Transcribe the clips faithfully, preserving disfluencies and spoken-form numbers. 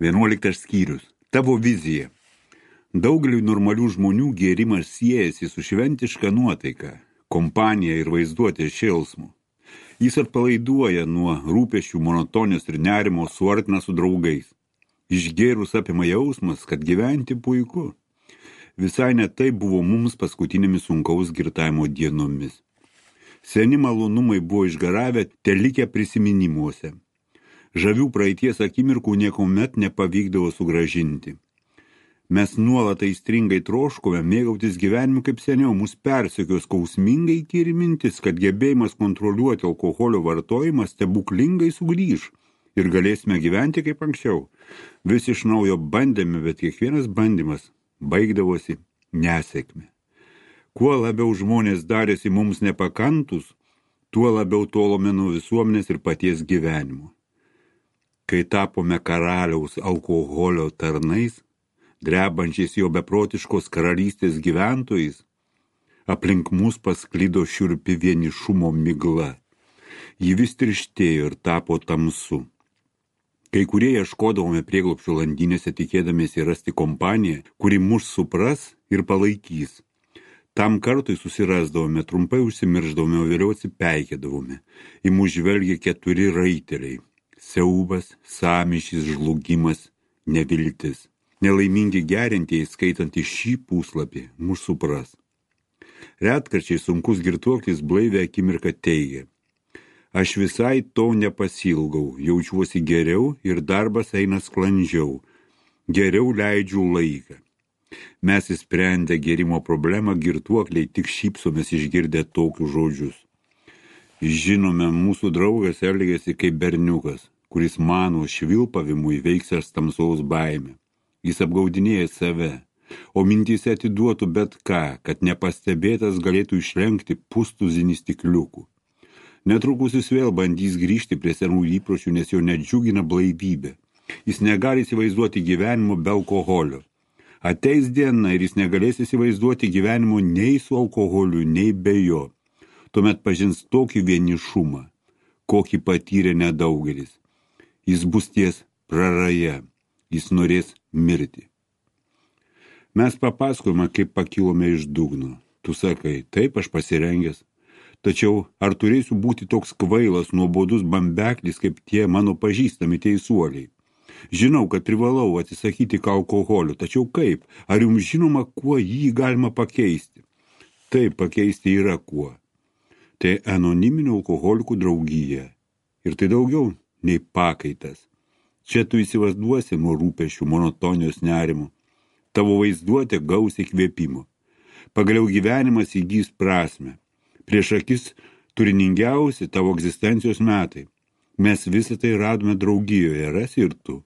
Vienuoliktas skyrius. Tavo vizija. Daugeliui normalių žmonių gėrimas siejasi su šventiška nuotaika, kompanija ir vaizduotės šėlsmu. Jis atpalaiduoja nuo rūpesčių, monotonijos ir nerimo, suartina su draugais. Išgėrus apima jausmas, kad gyventi puiku. Visai ne tai buvo mums paskutinėmis sunkaus girtavimo dienomis. Seni malonumai buvo išgaravę, telikę prisiminimuose. Žavių praeities akimirkų niekuomet nepavykdavo sugražinti. Mes nuolat aistringai troškome mėgautis gyvenimu kaip seniau, mus persekio skausmingai įkyri mintis, kad gebėjimas kontroliuoti alkoholio vartojimą stebuklingai sugrįž ir galėsime gyventi kaip anksčiau. Vis iš naujo bandėme, bet kiekvienas bandymas baigdavosi nesėkme. Kuo labiau žmonės darėsi mums nepakantus, tuo labiau tolome nuo visuomenės ir paties gyvenimo. Kai tapome karaliaus alkoholio tarnais, drebančiais jo beprotiškos karalystės gyventojais, aplink mus pasklido šiurpi vienišumo migla. Ji vis tirštėjo ir tapo tamsu. Kai kurie ieškodavome prieglobsčio landynėse, tikėdamiesi rasti kompaniją, kuri mus supras ir palaikys. Tam kartui susirasdavome, trumpai užsimirždavome, o vėliau atsipeikėdavome. Į mus žvelgė keturi raiteliai. Siaubas, sąmyšis, žlugimas, neviltis. Nelaimingi gerintieji, skaitant į šį puslapį, mus supras. Retkarčiai sunkus girtuoklis blaivę akimirką teigia. Aš visai to nepasilgau, jaučiuosi geriau ir darbas eina sklandžiau. Geriau leidžiu laiką. Mes įsprendę gėrimo problemą, girtuokliai tik šypsomės išgirdę tokius žodžius. Žinome, mūsų draugas elgėsi kaip berniukas, kuris mano švilpavimu įveiksęs tamsaus baimę. Jis apgaudinėja save, o mintyse atiduotų bet ką, kad nepastebėtas galėtų išlenkti pustuzinį stikliukų. Netrukus jis vėl bandys grįžti prie senų įpročių, nes jo nedžiugina blaivybė. Jis negali įsivaizduoti gyvenimo be alkoholio. Ateis diena ir jis negalės įsivaizduoti gyvenimo nei su alkoholiu, nei be jo. Tuomet pažins tokį vienišumą, kokį patyrė nedaugelis. Jis bus ties praraja, jis norės mirti. Mes papasakojame, kaip pakilome iš dugno. Tu sakai, taip aš pasirengęs. Tačiau ar turėsiu būti toks kvailas, nuobodus bambeklis, kaip tie mano pažįstami teisuoliai? Žinau, kad privalau atsisakyti alkoholio, tačiau kaip? Ar jums žinoma, kuo jį galima pakeisti? Taip, pakeisti yra kuo. Tai anoniminių alkoholikų draugija. Ir tai daugiau nei pakaitas. Čia tu įsivaizduosi nuo rūpesčių, monotonijos nerimo. Tavo vaizduotė gaus įkvėpimo. Pagaliau gyvenimas įgys prasmę. Prieš akis turiningiausi tavo egzistencijos metai. Mes visą tai radome draugijoje, rasi ir tu.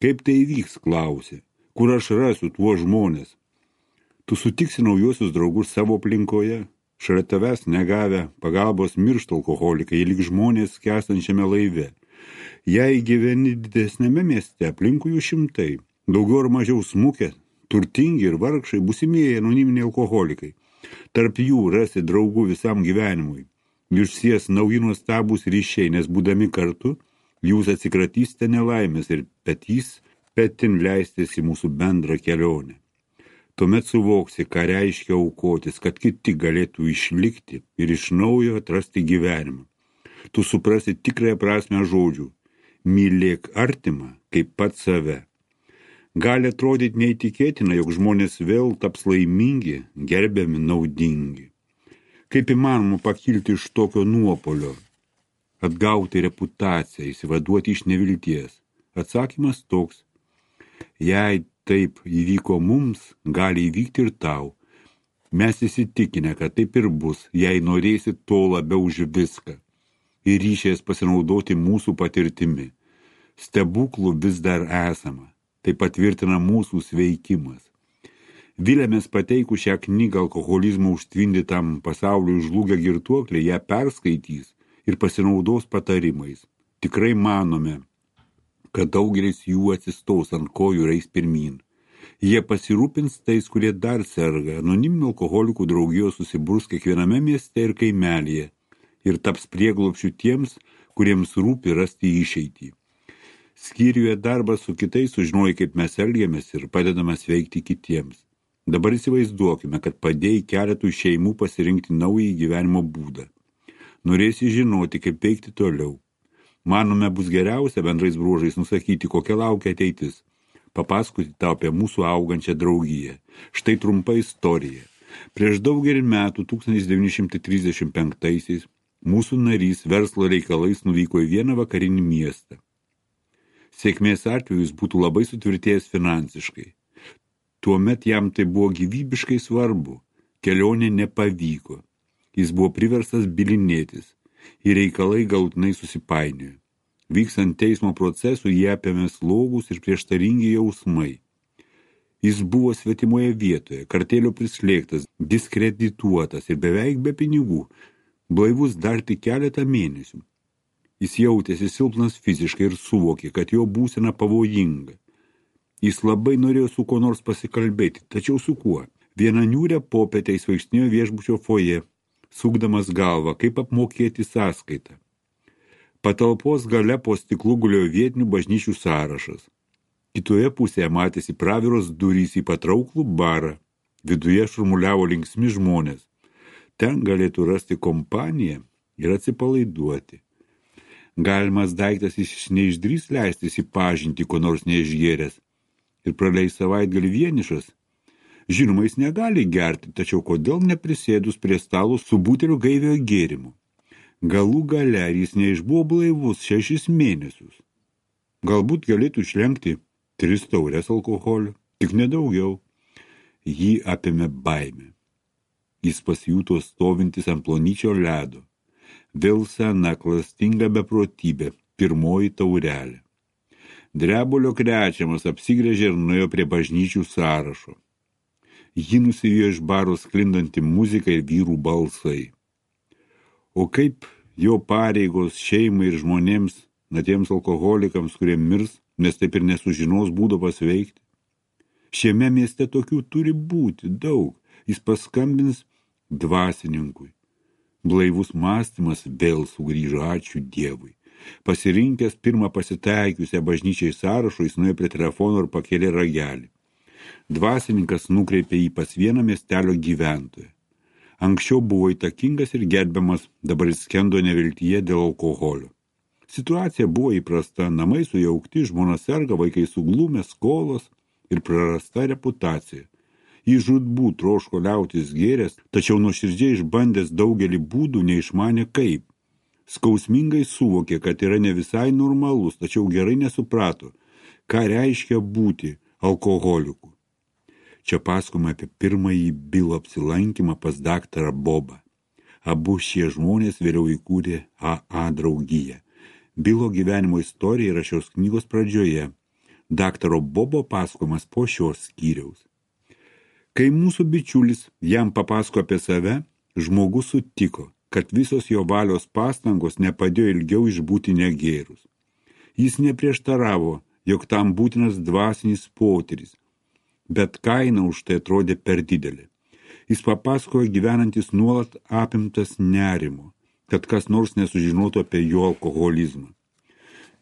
Kaip tai įvyks, klausė. Kur aš rasiu tuos žmonės? Tu sutiksi naujuosius draugus savo aplinkoje. Šalia tavęs negavę pagalbos miršta alkoholikai, lyg žmonės skęstančiame laive. Jei gyveni didesnėme mieste, aplinkui jų šimtai, daugiau ar mažiau smukę, turtingi ir vargšai, būsimieji anoniminiai alkoholikai. Tarp jų rasi draugų visam gyvenimui. Jūs sies nauji nuostabūs ryšiai, nes būdami kartu, jūs atsikratysite nelaimės ir petys petin leistis į mūsų bendrą kelionę. Tuomet suvoksi, ką reiškia aukotis, kad kiti galėtų išlikti ir iš naujo atrasti gyvenimą. Tu suprasi tikrąją prasmę žodžių. Mylėk artimą kaip pat save. Gali atrodyti neįtikėtina, jog žmonės vėl taps laimingi, gerbiami, naudingi. Kaip įmanoma pakilti iš tokio nuopolio? Atgauti reputaciją, įsivaduoti iš nevilties. Atsakymas toks. Jei taip įvyko mums, gali įvykti ir tau. Mes įsitikinę, kad taip ir bus, jei norėsi to labiau už viską. Ir ryšies pasinaudoti mūsų patirtimi. Stebuklų vis dar esama. Tai patvirtina mūsų sveikimas. Vilėmės pateikų šią knygą alkoholizmo užtvindytam pasauliui žlugę girtuokliai, ją perskaitys ir pasinaudos patarimais. Tikrai manome, kad daugelis jų atsistos ant kojų ir eis pirmyn. Jie pasirūpins tais, kurie dar serga. Anoniminių alkoholikų draugijos susiburs kiekviename mieste ir kaimelyje ir taps prieglobsčiu tiems, kuriems rūpi rasti išeitį. Skyriuje darbas su kitais sužinoji, kaip mes elgiamės ir padedame sveikti kitiems. Dabar įsivaizduokime, kad padėjai keletui šeimų pasirinkti naują gyvenimo būdą. Norėsi žinoti, kaip veikti toliau. Manome, bus geriausia bendrais bruožais nusakyti, kokia laukia ateitis. Papasakoti tau apie mūsų augančią draugiją. Štai trumpa istorija. Prieš daugelį metų, tūkstantis devyni šimtai trisdešimt penktaisiais, mūsų narys verslo reikalais nuvyko į vieną vakarinį miestą. Sėkmės atveju jis būtų labai sutvirtėjęs finansiškai. Tuomet jam tai buvo gyvybiškai svarbu. Kelionė nepavyko. Jis buvo priverstas bylinėtis. Ir reikalai galutinai susipainiojo. Vykstant teismo procesų jie apėmė slogūs ir prieštaringi jausmai. Jis buvo svetimoje vietoje, kartėlio prislėgtas, diskredituotas ir beveik be pinigų, blaivus dar tik keletą mėnesių. Jis jautėsi silpnas fiziškai ir suvokė, kad jo būsena pavojinga. Jis labai norėjo su kuo nors pasikalbėti, tačiau su kuo? Vieną niūrią popietę jis vaikštinėjo viešbučio foje, sukdamas galvą, kaip apmokėti sąskaitą. Patalpos gale po stiklu gulėjo vietinių bažnyčių sąrašas. Kitoje pusėje matėsi praviros durys į patrauklų barą. Viduje šurmuliavo linksmi žmonės. Ten galėtų rasti kompaniją ir atsipalaiduoti. Galimas daiktas jis neišdrįs leistis į pažintį, ko nors neišgėręs, ir praleis savaitgalį vienišas. Žinoma, jis negali gerti, tačiau kodėl neprisėdus prie stalo su buteliu gaiviojo gėrimu? Galų gale jis neišbuvo blaivus šešis mėnesius. Galbūt galėtų išlenkti tris taures alkoholio, tik nedaugiau. Jį apėmė baimė. Jis pasijuto stovintis ant plonyčio ledo. Vėl sena klastinga beprotybė, pirmoji taurelė. Drebulio krečiamas apsigręžė ir nuėjo prie bažnyčių sąrašo. Ji nusivijo iš baro sklindanti muzika ir vyrų balsai. O kaip jo pareigos šeimai ir žmonėms, na tiems alkoholikams, kurie mirs, nes taip ir nesužinos būdo pasveikti? Šiame mieste tokių turi būti daug. Jis paskambins dvasininkui. Blaivus mąstymas vėl sugrįžo, ačiū Dievui. Pasirinkęs pirmą pasitaikiusią bažnyčiai sąrašo, jis nuėjo prie telefono ir pakėlė ragelį. Dvasininkas nukreipė jį pas vieną miestelio gyventoją. Anksčiau buvo įtakingas ir gerbiamas, dabar jis skendo neviltyje dėl alkoholio. Situacija buvo įprasta, namai sujaukti, žmona serga, vaikai suglumę, skolos ir prarasta reputacija. Jis žūtbūt troško liautis gėręs, tačiau nuoširdžiai išbandęs daugelį būdų neišmanė kaip. Skausmingai suvokė, kad yra ne visai normalus, tačiau gerai nesuprato, ką reiškia būti alkoholiku. Čia pasakoma apie pirmąjį Bilo apsilankymą pas daktarą Bobą. Abu šie žmonės vėliau įkūrė A A draugiją. Bilo gyvenimo istorija yra šios knygos pradžioje. Daktaro Bobo pasakojimas po šios skyriaus. Kai mūsų bičiulis jam papasako apie save, žmogus sutiko, kad visos jo valios pastangos nepadėjo ilgiau išbūti negėrus. Jis neprieštaravo, jog tam būtinas dvasinis potyris, bet kaina už tai atrodė per didelė. Jis papasakojo gyvenantis nuolat apimtas nerimo, kad kas nors nesužinotų apie jo alkoholizmą.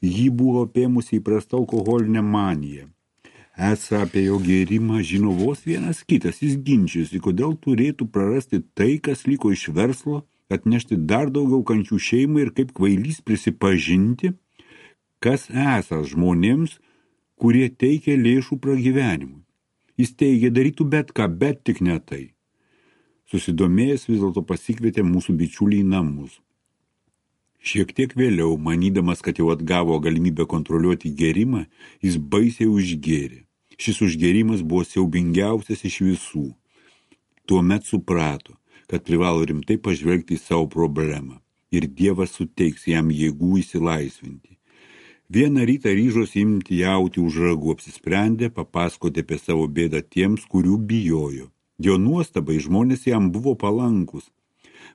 Jį buvo apėmusi įprasta alkoholinė manija. Esą apie jo gėrimą žino vos vienas kitas, jis ginčijosi, kodėl turėtų prarasti tai, kas liko iš verslo, atnešti dar daugiau kančių šeimai ir kaip kvailys prisipažinti, kas esąs žmonėms, kurie teikia lėšų pragyvenimui. Jis teigė, darytų bet ką, bet tik ne tai. Susidomėjęs vis dėlto pasikvietė mūsų bičiulį į namus. Šiek tiek vėliau, manydamas, kad jau atgavo galimybę kontroliuoti gėrimą, jis baisiai užgėrė. Šis užgėrimas buvo siaubingiausias iš visų. Tuomet suprato, kad privalo rimtai pažvelgti į savo problemą ir Dievas suteiks jam jėgų įsilaisvinti. Vieną rytą ryžosi imti jauti už ragų, apsisprendė papasakoti apie savo bėdą tiems, kurių bijojo. Jo nuostabai žmonės jam buvo palankus,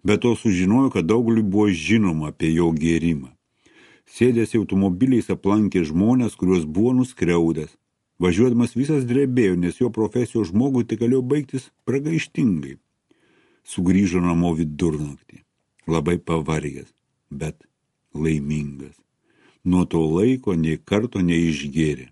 bet to sužinojo, kad daugeliui buvo žinoma apie jo gėrimą. Sėdęs automobiliais aplankė žmonės, kuriuos buvo nuskriaudęs. Važiuodamas visas drebėjo, nes jo profesijos žmogui tai galėjo baigtis pragaištingai. Sugrįžo namo vidurnaktį, labai pavargęs, bet laimingas. Nuo to laiko nei karto neišgėrė.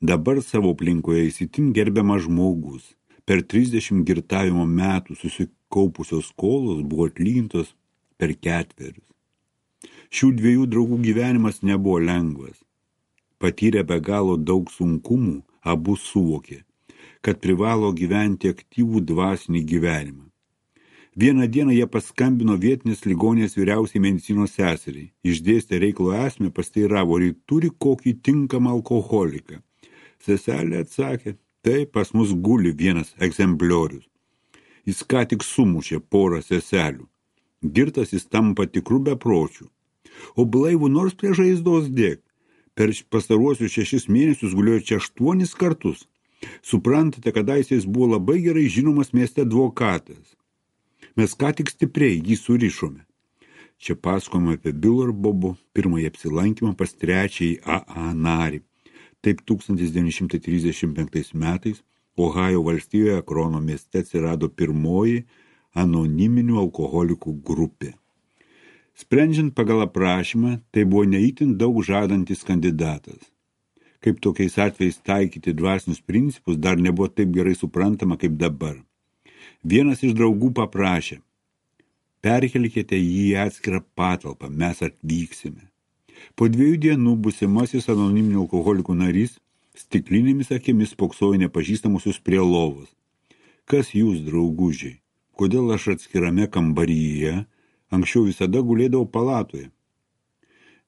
Dabar savo aplinkoje įsitin gerbiamas žmogus. Per trisdešimt girtavimo metų susikaupusios skolos buvo atlygintos per ketverius. Šių dviejų draugų gyvenimas nebuvo lengvas. Patyrę be galo daug sunkumų, abu suvokė, kad privalo gyventi aktyvų dvasinį gyvenimą. Vieną dieną jie paskambino vietinės ligonės vyriausiai medicinos seseriai. Išdėstė reikalo esmę, pasteiravo, ar turi kokį tinkamą alkoholiką. Seselė atsakė, tai pas mus guli vienas egzempliorius. Jis ką tik sumušė porą seselių. Girtas jis tampa tikrų bepročių. O blaivų nors prie žaizdos dėk. Per pastaruosius šešis mėnesius gulėjo čia aštuonis kartus. Suprantate, kadaise jis buvo labai gerai žinomas mieste advokatas. Mes ką tik stipriai jį surišome. Čia pasakojama apie Bilo ir Bobo pirmąjį apsilankymą pas trečiąjį A A narį. Taip tūkstantis devyni šimtai trisdešimt penktais metais Ohajo valstijoje Akrono mieste atsirado pirmoji anoniminių alkoholikų grupė. Sprendžiant pagal aprašymą, tai buvo neįtin daug žadantis kandidatas. Kaip tokiais atvejais taikyti dvasinius principus dar nebuvo taip gerai suprantama kaip dabar. Vienas iš draugų paprašė, perkelkite jį į atskirą patalpą, mes atvyksime. Po dviejų dienų būsimasis anoniminių alkoholikų narys stiklinėmis akimis spoksojo nepažįstamusius prie lovos. Kas jūs, draugužiai? Kodėl aš atskirame kambaryje? Anksčiau visada gulėdavau palatoje.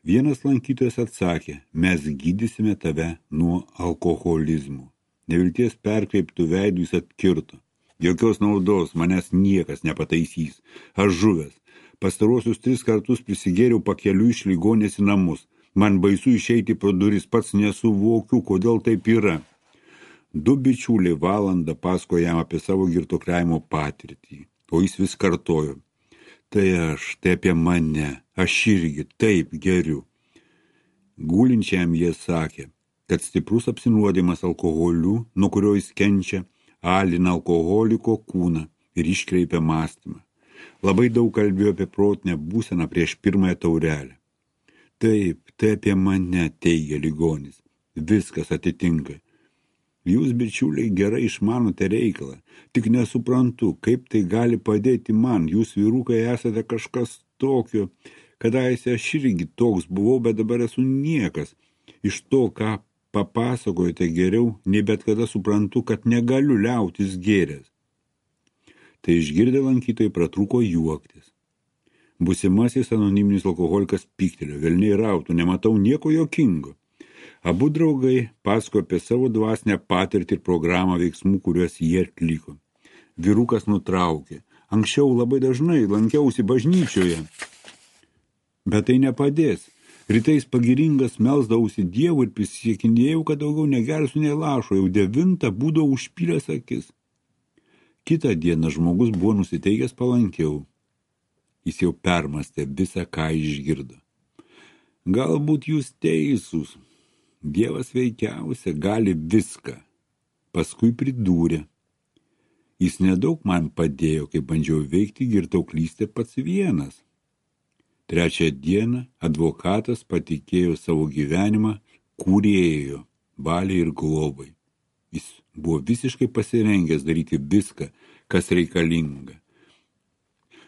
Vienas lankytojas atsakė, mes gydysime tave nuo alkoholizmo. Nevilties perkreiptų veidų jis atkirto. Jokios naudos, manęs niekas nepataisys. Aš žuvęs. Pastaruosius tris kartus prisigėriau pakeliu iš ligonės į namus. Man baisu išeiti pro duris, pats nesuvokiu, kodėl taip yra. Du bičiuliai valandą pasakojo jam apie savo girtuokliavimo patirtį, o jis vis kartojo. Tai aš, tai apie mane, aš irgi taip geriu. Gulinčiam jie sakė, kad stiprus apsinuodimas alkoholiu, nuo kurio jis kenčia, alina alkoholiko kūną ir iškreipia mąstymą. Labai daug kalbėjo apie protinę būseną prieš pirmąją taurelę. Taip, tai apie mane, teigia ligonis. Viskas atitinka. Jūs, bičiuliai, gerai išmanote reikalą, tik nesuprantu, kaip tai gali padėti man. Jūs, vyrukai, esate kažkas tokio, kadaise aš irgi toks buvau, bet dabar esu niekas. Iš to, ką papasakojate geriau, nei bet kada suprantu, kad negaliu liautis gėręs. Tai išgirdę lankytojai pratrūko juoktis. Būsimasis anoniminis alkoholikas pyktelio, velniai rautų, nematau nieko jokingo. Abu draugai pasakojo apie savo dvasinę patirtį ir programą veiksmų, kuriuos jie atliko. Vyrukas nutraukė. Anksčiau labai dažnai lankiausi bažnyčioje. Bet tai nepadės. Rytais pagiringas melsdavausi Dievui ir prisiekinėjau, kad daugiau negersiu nei lašo. Jau devintą būdavau užpylęs akis. Kitą dieną žmogus buvo nusiteikęs palankiau. Jis jau permastė visą, ką išgirdo. Galbūt jūs teisūs. Dievas veikiausia gali viską. Paskui pridūrė. Jis nedaug man padėjo, kai bandžiau veikti girtauklystę pats vienas. Trečią dieną advokatas patikėjo savo gyvenimą kūrėjo, valiai ir globai. Jis buvo visiškai pasirengęs daryti viską, kas reikalinga.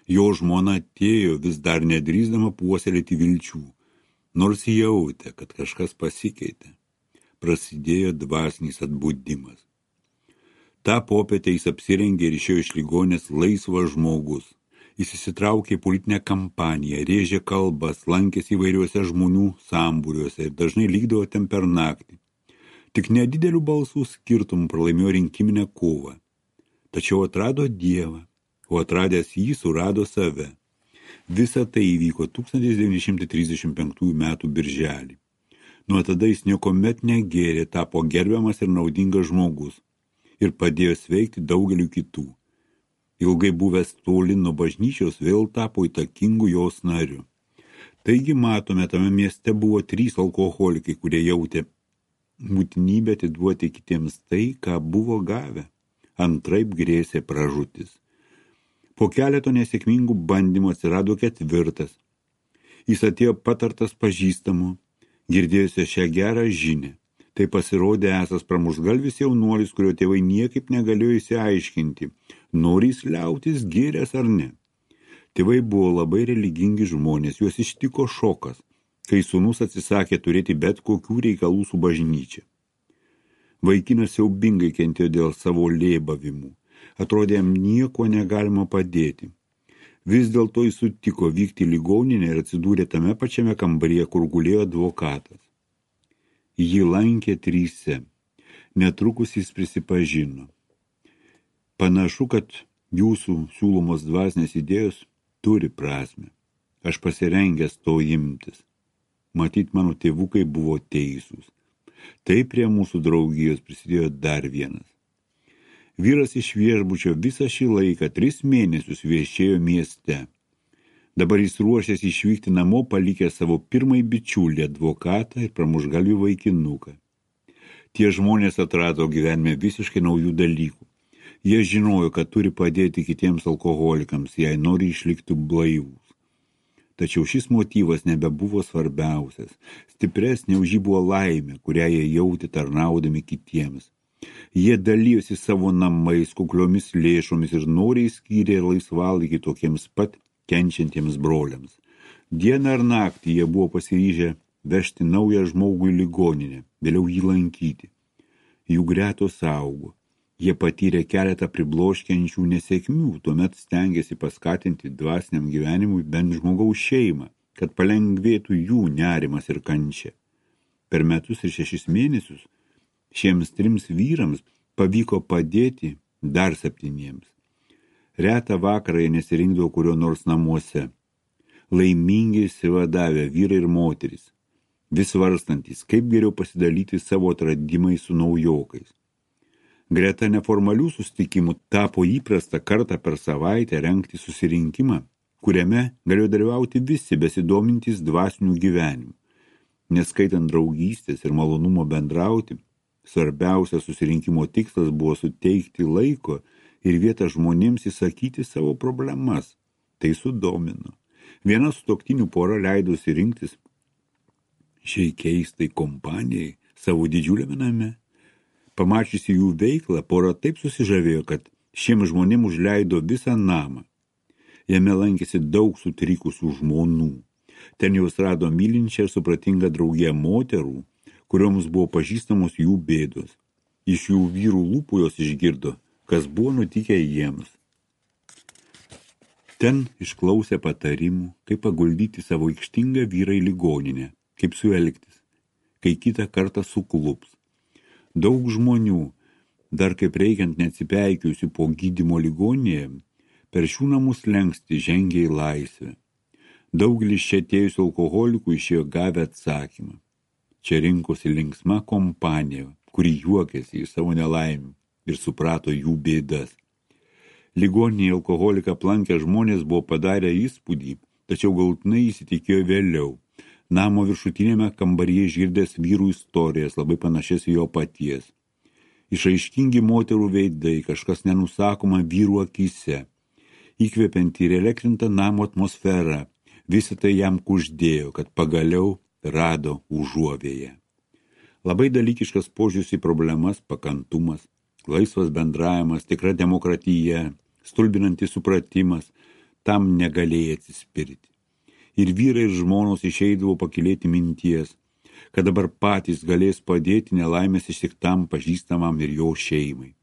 Jo žmona atėjo vis dar nedrįsdama puoselėti vilčių. Nors jautė, kad kažkas pasikeitė, prasidėjo dvasinis atbudimas. Ta popietę jis apsirengė ir išėjo iš ligonės laisvas žmogus. Jis įsitraukė į politinę kampaniją, rėžė kalbas, lankėsi įvairiuose žmonių sambūriuose ir dažnai lygdavo ten per naktį. Tik nedidelių balsų skirtumų pralaimėjo rinkiminę kovą. Tačiau atrado Dievą, o atradęs jį surado save. Visa tai įvyko tūkstantis devyni šimtai trisdešimt penktųjų metų birželį. Nuo tada jis niekomet negėrė, tapo gerbiamas ir naudingas žmogus ir padėjo sveikti daugeliu kitų. Ilgai buvęs toli nuo bažnyčios vėl tapo įtakingu jos nariu. Taigi matome, tame mieste buvo trys alkoholikai, kurie jautė būtinybę atiduoti kitiems tai, ką buvo gavę. Antraip grėsė pražūtis. Po keleto nesėkmingų bandymų atsirado ketvirtas. Jis atėjo patartas pažįstamų Girdėjusi šią gerą žinią, tai pasirodė esas pramuštgalvis jaunuolis, kurio tėvai niekaip negalėjo įsiaiškinti, nori jis liautis gėręs ar ne. Tėvai buvo labai religingi žmonės, juos ištiko šokas, kai sūnus atsisakė turėti bet kokių reikalų su bažnyčia. Vaikinas siaubingai kentėjo dėl savo lėbavimų, atrodė jam nieko negalima padėti. Vis dėlto jis sutiko vykti į ligoninę ir atsidūrė tame pačiame kambaryje, kur gulėjo advokatas. Jį lankė tryse. Netrukus jis prisipažino. Panašu, kad jūsų siūlomos dvasinės idėjos turi prasmę. Aš pasirengęs to imtis. Matyt, mano tėvukai buvo teisūs. Tai prie mūsų draugijos prisidėjo dar vienas. Vyras iš viešbučio visą šį laiką tris mėnesius viešėjo mieste. Dabar jis ruošėsi išvykti namo, palikę savo pirmąjį bičiulį advokatą ir pramuštgalvį vaikinuką. Tie žmonės atrado gyvenime visiškai naujų dalykų. Jie žinojo, kad turi padėti kitiems alkoholikams, jei nori išlikti blaivūs. Tačiau šis motyvas nebebuvo svarbiausias. Stipresnė už jį buvo laimė, kurią jie jautė tarnaudami kitiems. Jie dalyjosi savo namais, kukliomis lėšomis ir noriai skyrė laisvalaikį tokiems pat kenčiantiems broliams. Dieną ar naktį jie buvo pasiryžę vežti naują žmogų į ligoninę, vėliau jį lankyti. Jų gretos augo. Jie patyrė keletą pribloškiančių nesėkmių, tuomet stengėsi paskatinti dvasiniam gyvenimui bent žmogaus šeimą, kad palengvėtų jų nerimas ir kančia. Per metus ir šešis mėnesius šiems trims vyrams pavyko padėti dar septyniems. Retą vakarą jie nesirinkdavo kurio nors namuose. Laimingai išsivadavę vyrai ir moterys, vis svarstantys, kaip geriau pasidalyti savo atradimais su naujokais. Greta neformalių susitikimų tapo įprasta kartą per savaitę rengti susirinkimą, kuriame galėjo dalyvauti visi besidomintys dvasinių gyvenimų. Neskaitant draugystės ir malonumo bendrauti, svarbiausias susirinkimo tikslas buvo suteikti laiko ir vietą žmonėms įsakyti savo problemas. Tai sudomino. Viena sutuoktinių pora leidosi rinktis šiai keistai kompanijai savo didžiuliame name. Pamačiusi jų veiklą, pora taip susižavėjo, kad šiems žmonėms užleido visą namą. Jame lankėsi daug sutrikusių žmonų. Ten jos rado mylinčią ir supratingą draugiją moterų, kurioms buvo pažįstamos jų bėdos. Iš jų vyrų lūpų jos išgirdo, kas buvo nutikę jiems. Ten išklausė patarimų, kaip paguldyti savo aikštingą vyrą į ligoninę, kaip su juo elgtis, kai kitą kartą suklups. Daug žmonių, dar kaip reikiant neatsipeikiusių po gydymo ligoninėje, per šių namų slenkstį žengė į laisvę. Daugelis čia atėjusių alkoholikų išėjo gavę atsakymą. Čia rinkosi linksma kompanija, kuri juokėsi iš savo nelaimių ir suprato jų bėdas. Ligoninėje alkoholiką aplankę žmonės buvo padarę įspūdį, tačiau galutinai įsitikėjo vėliau. Namo viršutinėme kambaryje išgirdęs vyrų istorijas, labai panašias į jo paties. Išaiškingi moterų veidai, kažkas nenusakoma vyrų akyse. Įkvepianti ir elektrinta namo atmosfera, visą tai jam kuždėjo, kad pagaliau rado užuovėją. Labai dalykiškas požiūris į problemas, pakantumas, laisvas bendravimas, tikra demokratija, stulbinantis supratimas, tam negalėjai atsispirti. Ir vyrai ir žmonos išeidavo pakilėti minties, kad dabar patys galės padėti nelaimės ištiktam pažįstamam ir jo šeimai.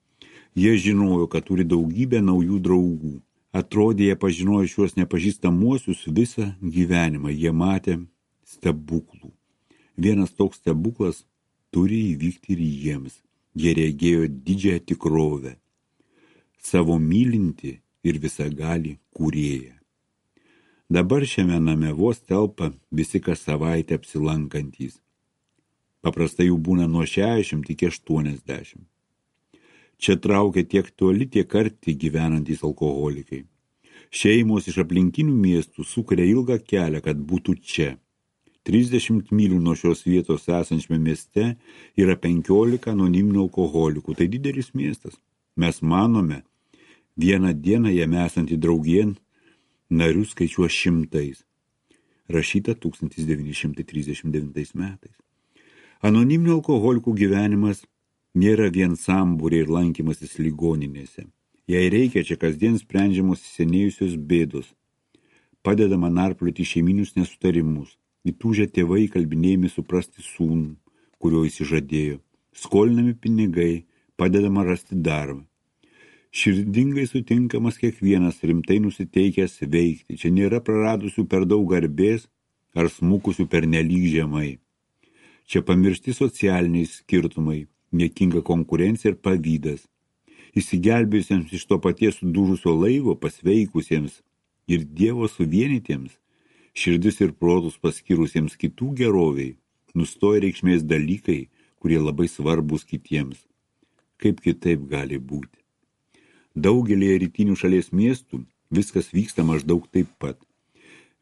Jie žinojo, kad turi daugybę naujų draugų. Atrodė, jie pažinojo šiuos nepažįstamuosius visą gyvenimą. Jie matė stebuklų. Vienas toks stebuklas turi įvykti ir jiems. Jie regėjo didžiąją tikrovę. Savo mylinti ir visagalį kūrėją. Dabar šiame name vos telpa visi kas savaitę apsilankantys. Paprastai jų būna nuo šešiasdešimt iki aštuoniasdešimt. Čia traukia tiek toli, tiek arti gyvenantys alkoholikai. Šeimos iš aplinkinių miestų sukuria ilgą kelią, kad būtų čia. trisdešimt mylių nuo šios vietos esančiame mieste yra penkiolika anoniminių alkoholikų. Tai didelis miestas. Mes manome, vieną dieną jame esantį draugien narių skaičiuos šimtais. rašyta tūkstantis devyni šimtai trisdešimt devintais metais. Anoniminių alkoholikų gyvenimas nėra vien sambūriai ir lankymasis ligoninėse. Jei reikia, čia kasdien sprendžiamos įsisenėjusios bėdos. Padedama narplioti šeiminius nesutarimus. Įtūžę tėvai kalbinėjami suprasti sūnų, kurio įsižadėjo. Skolinami pinigai, padedama rasti darbą. Širdingai sutinkamas kiekvienas rimtai nusiteikęs veikti. Čia nėra praradusių per daug garbės ar smukusių per nelyg žemai. Čia pamiršti socialiniai skirtumai, niekinga konkurencija ir pavydas. Įsigelbėjusiems iš to paties sudužusio laivo pasveikusiems ir Dievo suvienytiems, širdis ir protus paskyrusiems kitų geroviai, nustoja reikšmės dalykai, kurie labai svarbus kitiems. Kaip kitaip gali būti? Daugelėje rytinių šalies miestų viskas vyksta maždaug taip pat.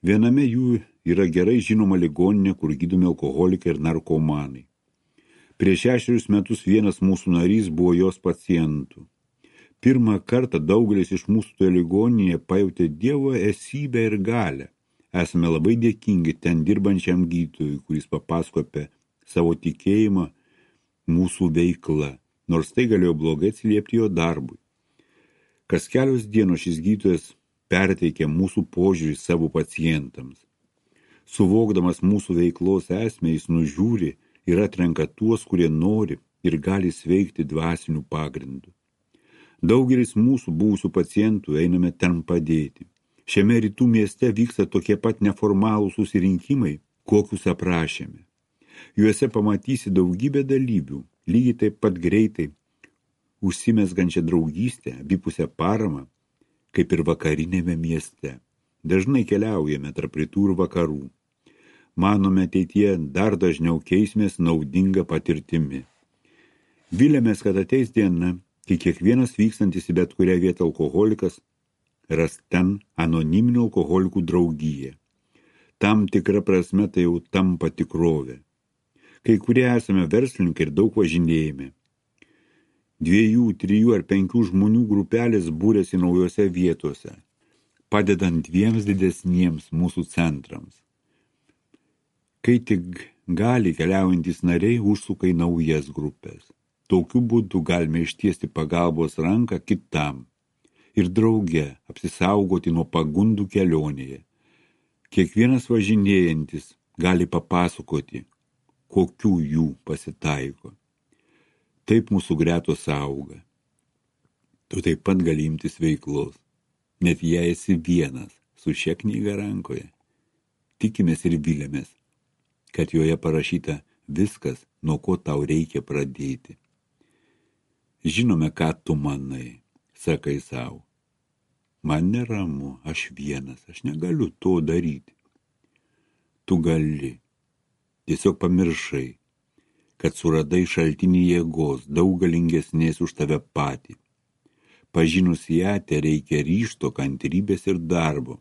Viename jų yra gerai žinoma ligoninė, kur gydomi alkoholikai ir narkomanai. Prieš šešerius metus vienas mūsų narys buvo jos pacientų. Pirmą kartą daugelis iš mūsų toje ligoninėje pajautė Dievo esybę ir galią. Esame labai dėkingi ten dirbančiam gydytojui, kuris papasakojo apie savo tikėjimą mūsų veikla, nors tai galėjo blogai atsiliepti jo darbui. Kas kelios dienos šis gydytojas perteikė mūsų požiūrį savo pacientams. Suvokdamas mūsų veiklos esmę, jis nužiūri ir atrenka tuos, kurie nori ir gali sveikti dvasinių pagrindų. Daugelis mūsų buvusių pacientų einame ten padėti. Šiame rytų mieste vyksta tokie pat neformalūs susirinkimai, kokius aprašėme. Juose pamatysi daugybę dalyvių, lygiai taip pat greitai užsimezgančią draugystę, abipusę paramą, kaip ir vakarinėme mieste. Dažnai keliaujame tarp rytų ir vakarų. Manome, ateityje dar dažniau keisimės naudinga patirtimi. Viliamės, kad ateis diena, kai kiekvienas vykstantis į bet kurią vietą alkoholikas ras ten anoniminių alkoholikų draugiją. Tam tikra prasme tai jau tampa tikrovė. Kai kurie esame verslininkai ir daug važinėjame. Dviejų, trijų ar penkių žmonių grupelės būrėsi naujose vietose, padedant dviems didesniems mūsų centrams. Kai tik gali, keliaujantys nariai užsuka į naujas grupės. Tokiu būdu galime ištiesti pagalbos ranką kitam ir drauge apsisaugoti nuo pagundų kelionėje. Kiekvienas važinėjantis gali papasakoti, kokių jų pasitaiko. Taip mūsų gretos auga. Tu taip pat gali imtis veiklos, net jei esi vienas su šia knyga rankoje. Tikimės ir viliamės, kad joje parašyta viskas, nuo ko tau reikia pradėti. Žinome, ką tu manai, sakai savo. Man neramu, aš vienas, aš negaliu to daryti. Tu gali, tiesiog pamiršai, kad suradai šaltinį jėgos, daug galingesnės už tave patį. Pažinus ją, te reikia ryžto, kantrybės ir darbo,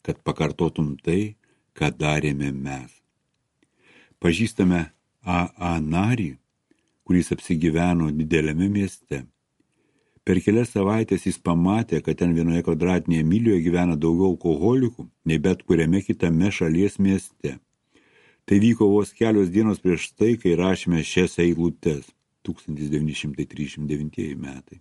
kad pakartotum tai, ką darėme mes. Pažįstame A A narį, kuris apsigyveno dideliame mieste. Per kelias savaitės jis pamatė, kad ten vienoje kvadratinėje mylijoje gyvena daugiau alkoholikų, nei bet kuriame kitame šalies mieste. Tai vyko vos kelios dienos prieš tai, kai rašėme šias eilutes, tūkstantis devyni šimtai trisdešimt devintieji metai.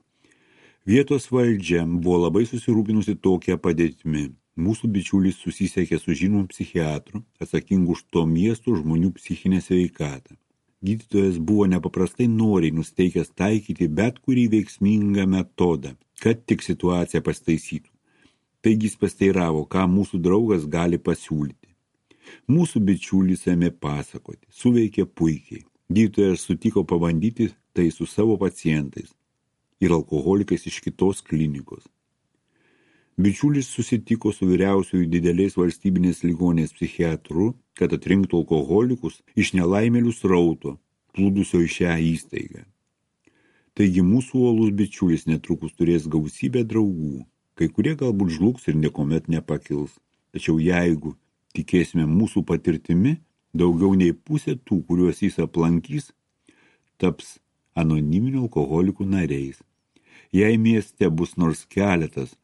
Vietos valdžia buvo labai susirūpinusi tokia padėtimi. Mūsų bičiulis susisiekė su žinomu psichiatru, atsakingu už to miesto žmonių psichinę sveikatą. Gydytojas buvo nepaprastai noriai nusteikęs taikyti bet kurį veiksmingą metodą, kad tik situaciją pastaisytų. Taigi jis pasteiravo, ką mūsų draugas gali pasiūlyti. Mūsų bičiulis ėmė pasakoti, suveikė puikiai. Gydytojas sutiko pabandyti tai su savo pacientais ir alkoholikais iš kitos klinikos. Bičiulis susitiko su vyriausiųjų didelės valstybinės ligoninės psichiatru, kad atrinktų alkoholikus iš nelaimėlių srauto, plūdusio į šią įstaigą. Taigi mūsų uolus bičiulis netrukus turės gausybę draugų, kai kurie galbūt žlugs ir niekuomet nepakils. Tačiau jeigu tikėsime mūsų patirtimi, daugiau nei pusė tų, kuriuos jis aplankys, taps anoniminių alkoholikų nariais. Jei mieste bus nors keletas,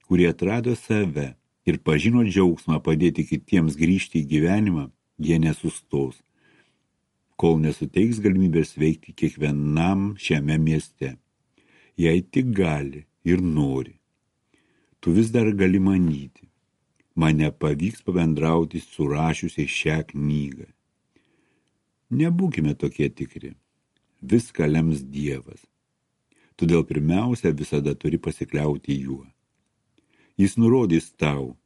kurie atrado save ir pažino džiaugsmą padėti kitiems grįžti į gyvenimą, jie nesustos, kol nesuteiks galimybės veikti kiekvienam šiame mieste. Jei tik gali ir nori. Tu vis dar gali manyti, man nepavyks pabendrauti su rašiusiai šią knygą. Nebūkime tokie tikri. Viską lems Dievas. Todėl pirmiausia visada turi pasikliauti juo. Jis nurodys tau,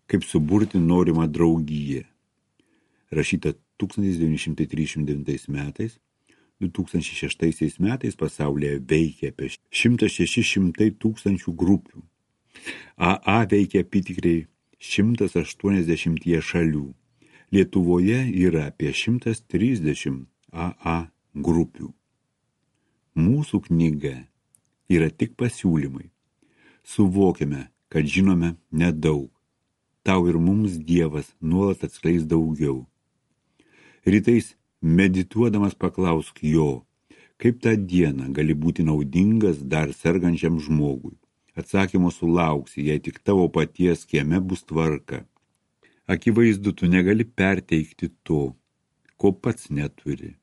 kaip suburti norimą draugiją. Rašyta tūkstantis devyni šimtai trisdešimt devintais metais, du tūkstančiai šeštaisiais metais pasaulyje veikia apie šimtas šeši šimtai tūkstančių grupių. A A veikia apytikriai šimtas aštuoniasdešimt šalių. Lietuvoje yra apie šimtas trisdešimt A A grupių. Mūsų knyga yra tik pasiūlymai. Suvokime, kad žinome nedaug. Tau ir mums Dievas nuolat atskleis daugiau. Rytais medituodamas paklausk jo, kaip tą dieną gali būti naudingas dar sergančiam žmogui. Atsakymo sulauksi, jei tik tavo paties kieme bus tvarka. Akivaizdu, tu negali perteikti to, ko pats neturi.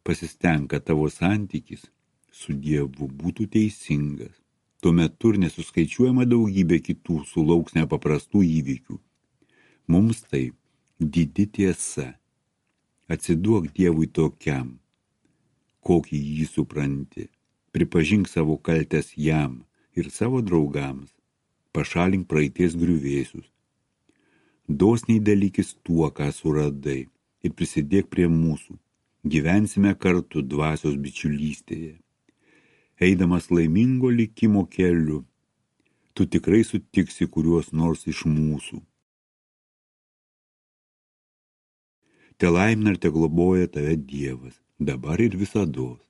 Pasistenk, kad tavo santykis su Dievu būtų teisingas. Tuo metu ir nesuskaičiuojama daugybė kitų sulauks nepaprastų įvykių. Mums tai didi tiesa. Atsiduok Dievui tokiam, kokį jį supranti. Pripažink savo kaltes jam ir savo draugams. Pašalink praeities griuvėsius. Dosniai dalykis tuo, ką suradai, ir prisidėk prie mūsų. Gyvensime kartu dvasios bičiulystėje. Eidamas laimingo likimo keliu, tu tikrai sutiksi kuriuos nors iš mūsų. Te laimina ir te globoja tave Dievas, dabar ir visados.